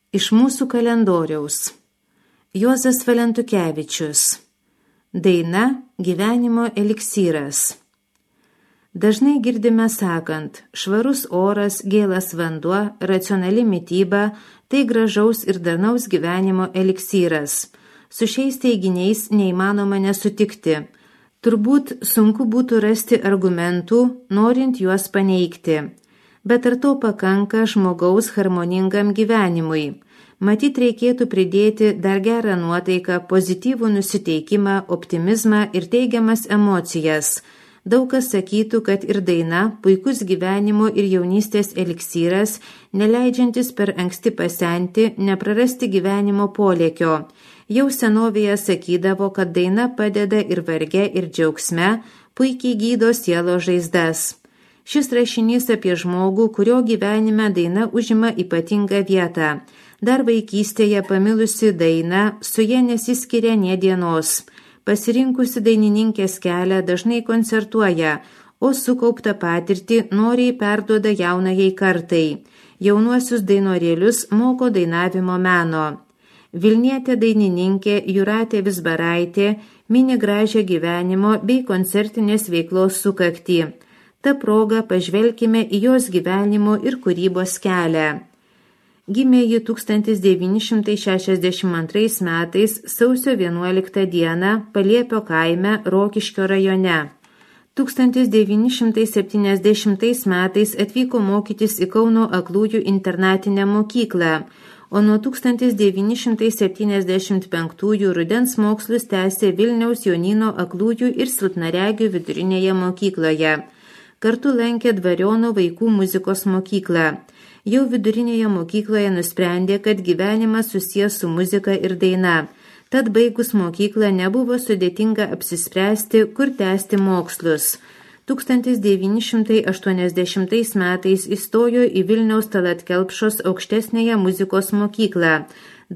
Iš mūsų kalendoriaus. Juozas Valentukevičius. Daina Gyvenimo eliksyras. Dažnai girdime sakant, švarus oras, gėlas vanduo, racionali mityba – tai gražaus ir darnaus gyvenimo eliksyras. Su šiais teiginiais neįmanoma nesutikti. Turbūt sunku būtų rasti argumentų, norint juos paneigti. Bet ar to pakanka žmogaus harmoningam gyvenimui? Matyt, reikėtų pridėti dar gerą nuotaiką, pozityvų nusiteikimą, optimizmą ir teigiamas emocijas. Daug kas sakytų, kad ir daina puikus gyvenimo ir jaunystės eliksyras, neleidžiantis per anksti pasenti, neprarasti gyvenimo polėkio. Jau senovėje sakydavo, kad daina padeda ir varge, ir džiaugsme, puikiai gydo sielo žaizdas. Šis rašinys apie žmogų, kurio gyvenime daina užima ypatingą vietą. Dar vaikystėje pamilusi dainą, su ja nesiskiria nė dienos. Pasirinkusi dainininkės kelią dažnai koncertuoja, o sukauptą patirtį noriai perduoda jaunajai kartai. Jaunuosius dainorėlius moko dainavimo meno. Vilnietė dainininkė Jūratė Vizbaraitė mini gražią gyvenimo bei koncertinės veiklos sukaktį. Ta proga pažvelkime į jos gyvenimo ir kūrybos kelią. Gimė ji 1962 metais sausio 11 dieną Paliepio kaime Rokiškio rajone. 1970 metais atvyko mokytis į Kauno aklųjų internatinę mokyklą, o nuo 1975 rudens mokslus tęsė Vilniaus Jonyno aklųjų ir silpnaregių vidurinėje mokykloje. Kartu lankė Dvariono vaikų muzikos mokyklą. Jau vidurinėje mokykloje nusprendė, kad gyvenimas susijęs su muzika ir daina. Tad baigus mokyklą nebuvo sudėtinga apsispręsti, kur tęsti mokslus. 1980 metais įstojo į Vilniaus Tallat Kelpšos aukštesnėje muzikos mokyklą,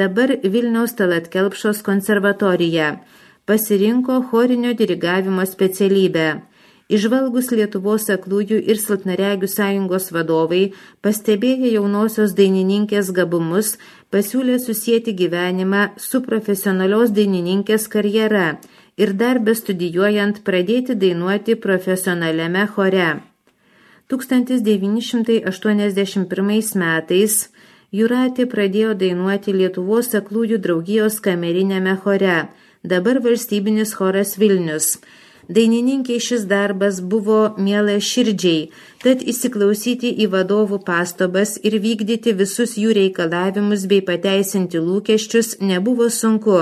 dabar Vilniaus Tallat Kelpšos konservatoriją. Pasirinko chorinio dirigavimo specialybę. Įžvalgus Lietuvos aklųjų ir silpnaregių sąjungos vadovai, pastebėję jaunosios dainininkės gabumus, pasiūlė susieti gyvenimą su profesionalios dainininkės karjera ir dar bestudijuojant pradėti dainuoti profesionaliame chore. 1981 metais Jūratė pradėjo dainuoti Lietuvos aklųjų draugijos kamerinėme chore, dabar valstybinis choras Vilnius. Dainininkiai šis darbas buvo mielas širdžiai, tad įsiklausyti į vadovų pastabas ir vykdyti visus jų reikalavimus bei pateisinti lūkesčius nebuvo sunku.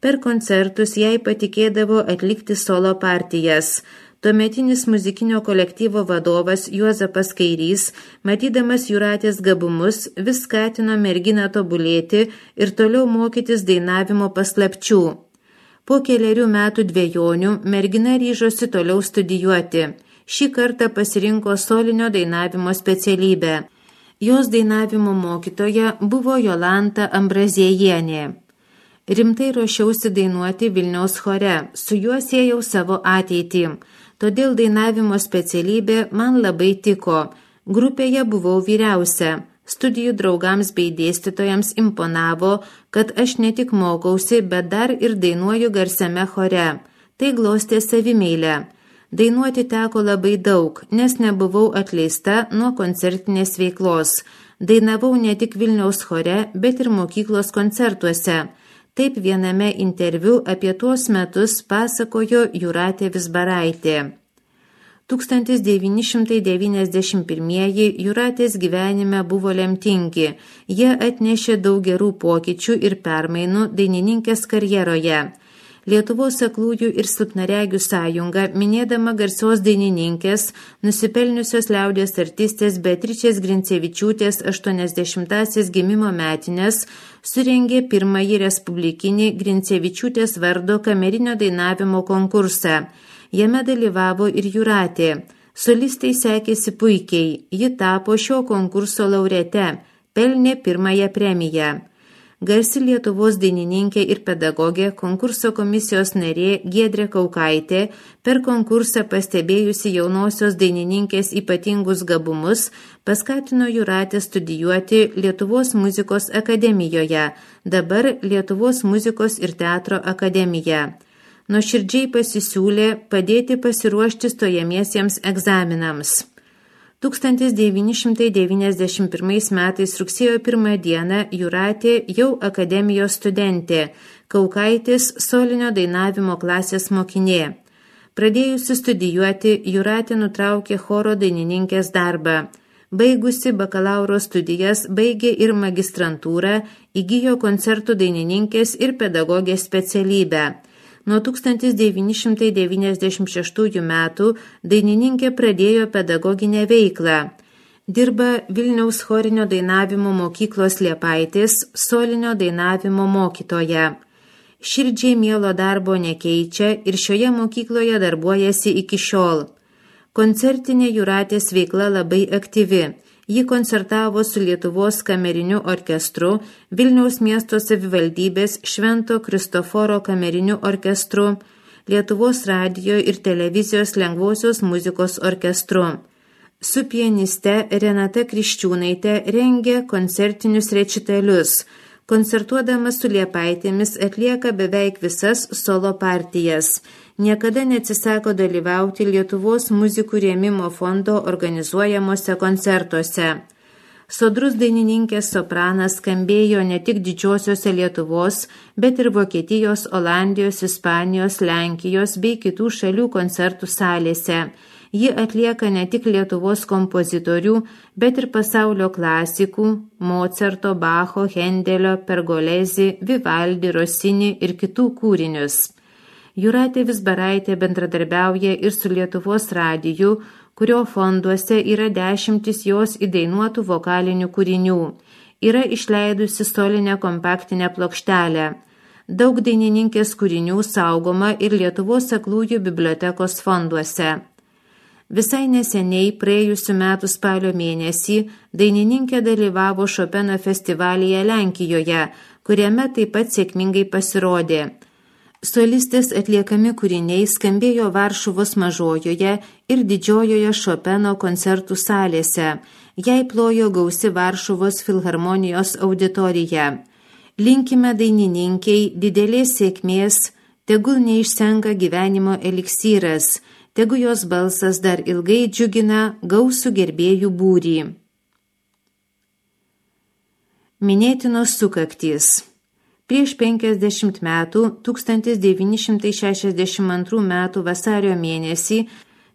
Per koncertus jai patikėdavo atlikti solo partijas. Tuometinis muzikinio kolektyvo vadovas Juozapas Kairys, matydamas Jūratės gabumus, vis skatino merginą tobulėti ir toliau mokytis dainavimo paslapčių. Po kelerių metų dvejonių mergina ryžosi toliau studijuoti. Šį kartą pasirinko solinio dainavimo specialybę. Jos dainavimo mokytoja buvo Jolanta Ambraziejienė. Rimtai ruošiausi dainuoti Vilniaus chore, su juo siejau savo ateitį. Todėl dainavimo specialybė man labai tiko. Grupėje buvau vyriausia. Studijų draugams bei dėstytojams imponavo, kad aš ne tik mokausi, bet dar ir dainuoju garsiame chore. Tai glostė savimeilę. Dainuoti teko labai daug, nes nebuvau atleista nuo koncertinės veiklos. Dainavau ne tik Vilniaus chore, bet ir mokyklos koncertuose. Taip viename interviu apie tuos metus pasakojo Jūratė Vizbaraitė. 1991 Jūratės gyvenime buvo lemtingi. Jie atnešė daug gerų pokyčių ir permainų dainininkės karjeroje. Lietuvos aklųjų ir silpnaregių sąjunga, minėdama garsios dainininkės, nusipelniusios liaudies artistės Beatričės Grincevičiūtės 80-asias gimimo metines, surengė pirmąjį respublikinį Grincevičiūtės vardo kamerinio dainavimo konkursą. Jame dalyvavo ir Jūratė. Solistai sekėsi puikiai. Ji tapo šio konkurso laureate, pelnė pirmąją premiją. garsi Lietuvos dainininkė ir pedagogė, konkurso komisijos narė Giedrė Kaukaitė, per konkursą pastebėjusi jaunosios dainininkės ypatingus gabumus, paskatino Jūratę studijuoti Lietuvos muzikos akademijoje, dabar Lietuvos muzikos ir teatro akademija. Nuoširdžiai pasisiūlė padėti pasiruošti stojamiesiems egzaminams. 1991 metais rugsėjo 1 dieną Jūratė jau akademijos studentė, Kaukaitės solinio dainavimo klasės mokinė. Pradėjusi studijuoti, Jūratė nutraukė choro dainininkės darbą. Baigusi bakalauro studijas, baigė ir magistrantūrą, įgijo koncertų dainininkės ir pedagogės specialybę. Nuo 1996 metų dainininkė pradėjo pedagoginę veiklą. Dirba Vilniaus chorinio dainavimo mokyklos Liepaitės solinio dainavimo mokytoja. Širdžiai mielo darbo nekeičia ir šioje mokykloje darbuojasi iki šiol. Koncertinė Jūratės veikla labai aktyvi. Ji koncertavo su Lietuvos kameriniu orkestru, Vilniaus miesto savivaldybės Švento Kristoforo kameriniu orkestru, Lietuvos radijo ir televizijos lengvosios muzikos orkestru. Su pianiste Renata Kriščiūnaitė rengė koncertinius rečitalius. Koncertuodamas su Liepaitėmis atlieka beveik visas solo partijas. Niekada neatsisako dalyvauti Lietuvos muzikų rėmimo fondo organizuojamuose koncertuose. Sodrus dainininkės sopranas skambėjo ne tik didžiosiuose Lietuvos, bet ir Vokietijos, Olandijos, Ispanijos, Lenkijos bei kitų šalių koncertų salėse. Ji atlieka ne tik Lietuvos kompozitorių, bet ir pasaulio klasikų Mocarto, Bacho, Hendelio, Pergolezi, Vivaldi, Rossini ir kitų kūrinius. Jūratė Vizbaraitė bendradarbiauja ir su Lietuvos radiju, kurio fonduose yra 10 jos įdainuotų vokalinių kūrinių. Yra išleidusi solinę kompaktinę plokštelę. Daug dainininkės kūrinių saugoma ir Lietuvos aklųjų bibliotekos fonduose. Visai neseniai, praėjusių metų spalio mėnesį, dainininkė dalyvavo Šopeno festivalyje Lenkijoje, kuriame taip pat sėkmingai pasirodė. Solistės atliekami kūriniai skambėjo Varšuvos mažojoje ir didžiojoje Šopeno koncertų salėse. Jai plojo gausi Varšuvos filharmonijos auditorija. Linkime dainininkiai didelės sėkmės, tegul neišsenka gyvenimo eliksyras, tegu jos balsas dar ilgai džiugina gausų gerbėjų būrį. Minėtinos sukaktys. Prieš 50 metų, 1962 metų vasario mėnesį,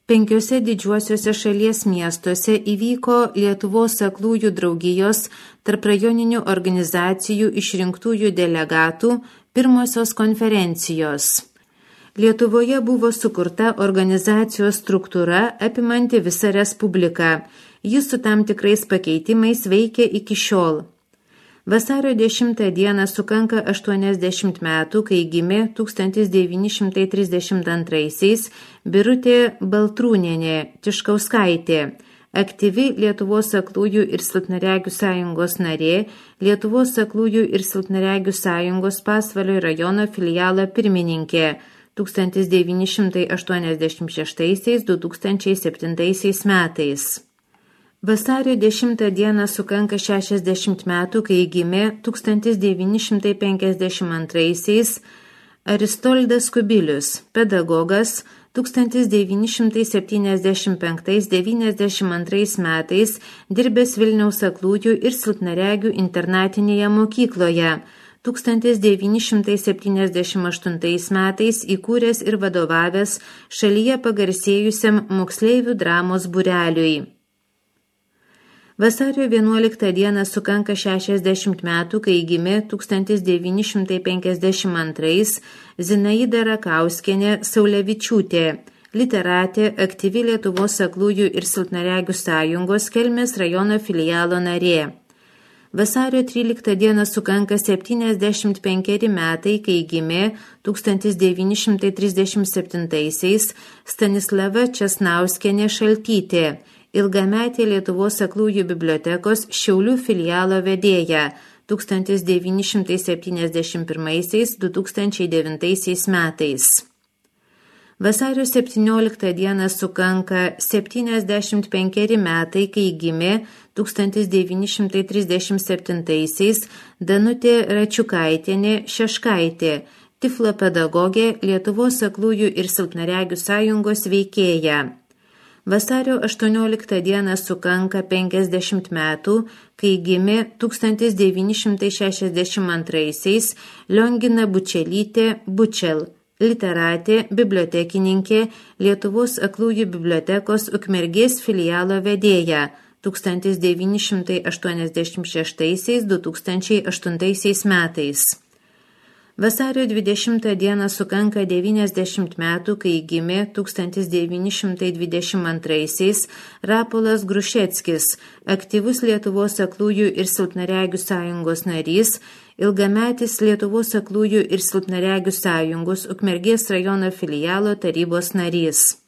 5 didžiuosiuose šalies miestuose įvyko Lietuvos aklųjų draugijos tarprajoninių organizacijų išrinktųjų delegatų pirmosios konferencijos. Lietuvoje buvo sukurta organizacijos struktūra apimanti visą respubliką. Jis su tam tikrais pakeitimais veikia iki šiol. Vasario 10 dieną sukanka 80 metų, kai gimė 1932 Birutė Baltrūnienė Tiškauskaitė, aktyvi Lietuvos aklųjų ir silpnaregių sąjungos narė, Lietuvos aklųjų ir silpnaregių sąjungos Pasvalio rajono filialo pirmininkė 1986–2007 metais. Vasario 10 dieną sukanka 60 metų, kai gimė 1952 Aristoldas Kubilius, pedagogas, 1975–92 metais dirbęs Vilniaus aklųjų ir silpnaregių internatinėje mokykloje, 1978 metais įkūręs ir vadovavęs šalyje pagarsėjusiam moksleivių dramos būreliui. Vasario 11 dieną sukanka 60 metų, kai gimė 1952 Zinaida Rakauskienė Saulevičiūtė, literatė, aktyvi Lietuvos aklųjų ir silpnaregių sąjungos Kelmės rajono filialo narė. Vasario 13 dieną sukanka 75 metai, kai gimė 1937 Stanislava Česnauskienė Šaltytė, ilgametė Lietuvos aklųjų bibliotekos Šiaulių filialo vedėja, 1971–2009 metais. Vasario 17 dieną sukanka 75 metai, kai gimė 1937-aisiais Danutė Račiukaitienė Šeškaitė, Tiflo pedagogė, Lietuvos aklųjų ir silpnaregių sąjungos veikėja. Vasario 18 dieną sukanka 50 metų, kai gimė 1962-aisiais Liongina Bučelytė Bučel, literatė, bibliotekininkė, Lietuvos aklųjų bibliotekos Ukmergės filialo vedėja 1986–2008 metais. Vasario 20 dieną sukanka 90 metų, kai gimė 1922-aisiais Rapolas Grušeckis, aktyvus Lietuvos aklųjų ir silpnaregių sąjungos narys, ilgametis Lietuvos aklųjų ir silpnaregių sąjungos Ukmergės rajono filialo tarybos narys.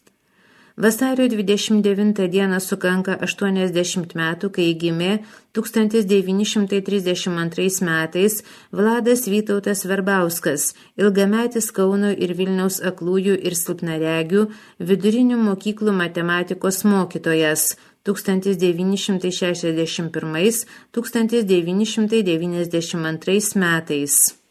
Vasario 29 dieną sukanka 80 metų, kai gimė 1932 metais Vladas Vytautas Verbauskas, ilgametis Kauno ir Vilniaus aklųjų ir silpnaregių vidurinių mokyklų matematikos mokytojas 1961–1992 metais.